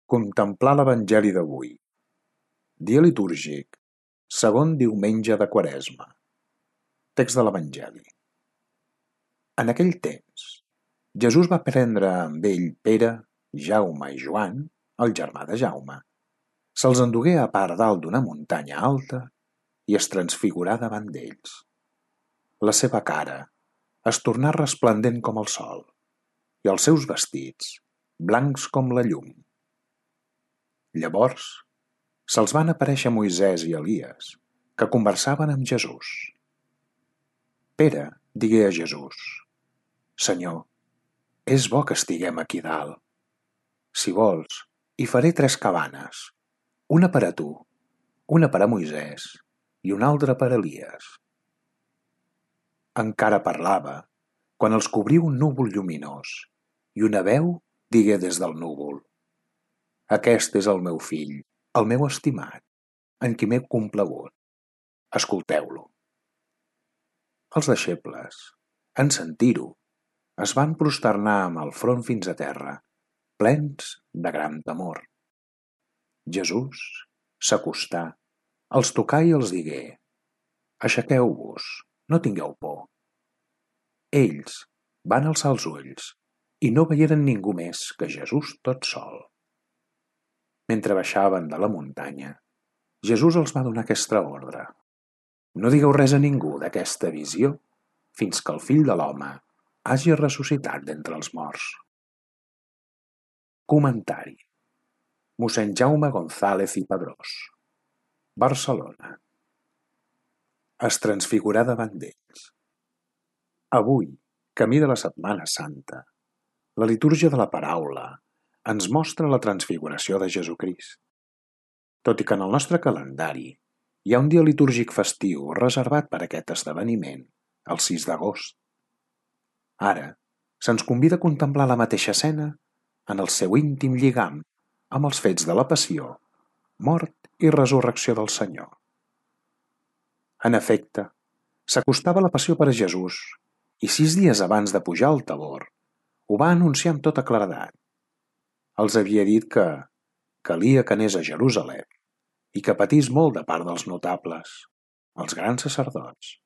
Contemplar l'Evangeli d'avui. Dia litúrgic, segon diumenge de Quaresma. Text de l'Evangeli. En aquell temps, Jesús va prendre amb ell Pere, Jaume i Joan, el germà de Jaume. Se'ls endugué a part dalt d'una muntanya alta i es transfigurà davant d'ells. La seva cara es tornà resplendent com el sol i els seus vestits blancs com la llum. Llavors, se'ls van aparèixer Moisès i Elies, que conversaven amb Jesús. Pere digué a Jesús: «Senyor, és bo que estiguem aquí dalt. Si vols, hi faré 3 cabanes, una per a tu, una per a Moisès i una altra per a Elies». Encara parlava, quan els cobrí un núvol lluminós, i una veu digué des del núvol: «Aquest és el meu fill, el meu estimat, en qui m'he complagut. Escolteu-lo». Els deixebles, en sentir-ho, es van prosternar amb el front fins a terra, plens de gran temor. Jesús s'acostà, els tocà i els digué: «Aixequeu-vos, no tingueu por». Ells van alçar els ulls i no veieren ningú més que Jesús tot sol. Mentre baixaven de la muntanya, Jesús els va donar aquesta ordre: «No digueu res a ningú d'aquesta visió fins que el Fill de l'Home hagi ressuscitat d'entre els morts». Comentari: Mossèn Jaume González i Padrós, Barcelona. Es transfigurà davant d'ells. Avui, camí de la Setmana Santa, la litúrgia de la paraula ens mostra la transfiguració de Jesucrist. Tot i que en el nostre calendari hi ha un dia litúrgic festiu reservat per a aquest esdeveniment, el 6 d'agost. Ara, se'ns convida a contemplar la mateixa escena en el seu íntim lligam amb els fets de la passió, mort i resurrecció del Senyor. En efecte, s'acostava la passió per a Jesús i 6 dies abans de pujar al Tabor ho va anunciar amb tota claredat. Els havia dit que calia que anés a Jerusalem i que patís molt de part dels notables, els grans sacerdots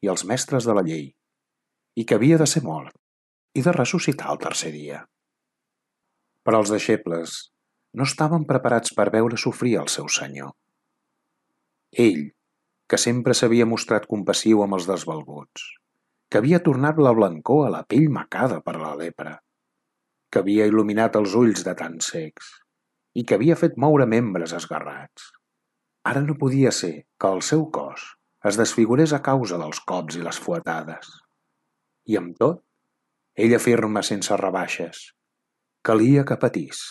i els mestres de la llei, i que havia de ser mort i de ressuscitar el 3è dia. Però els deixebles no estaven preparats per veure sofrir el seu Senyor. Ell, que sempre s'havia mostrat compassiu amb els desvalguts, que havia tornat la blancor a la pell macada per la lepra, que havia il·luminat els ulls de tan cecs i que havia fet moure membres esgarrats. Ara no podia ser que el seu cos es desfigurés a causa dels cops i les fuetades. I amb tot, ell afirma sense rebaixes: calia que patís.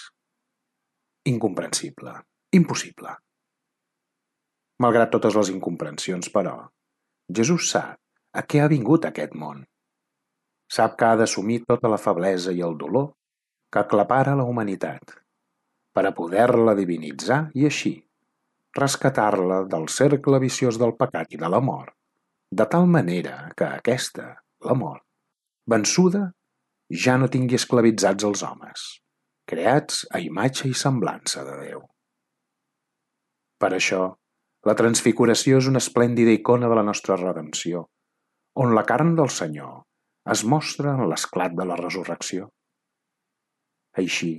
Incomprensible, impossible. Malgrat totes les incomprensions, però, Jesús sap a què ha vingut aquest món. Sap que ha d'assumir tota la feblesa i el dolor que aclapara la humanitat, per a poder-la divinitzar i així rescatar-la del cercle viciós del pecat i de la mort, de tal manera que aquesta, la mort, vençuda, ja no tingui esclavitzats els homes, creats a imatge i semblança de Déu. Per això, la transfiguració és una esplèndida icona de la nostra redempció, on la carn del Senyor es mostra en l'esclat de la resurrecció. Així,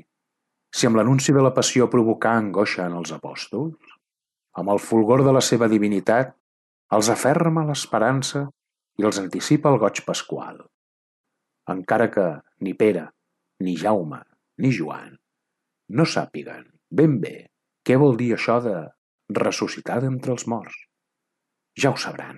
si amb l'anunci de la passió provocà angoixa en els apòstols, amb el fulgor de la seva divinitat els aferma l'esperança i els anticipa el goig pasqual, encara que ni Pere, ni Jaume, ni Joan no sàpiguen ben bé què vol dir això de ressuscitar d'entre els morts. Ja ho sabran.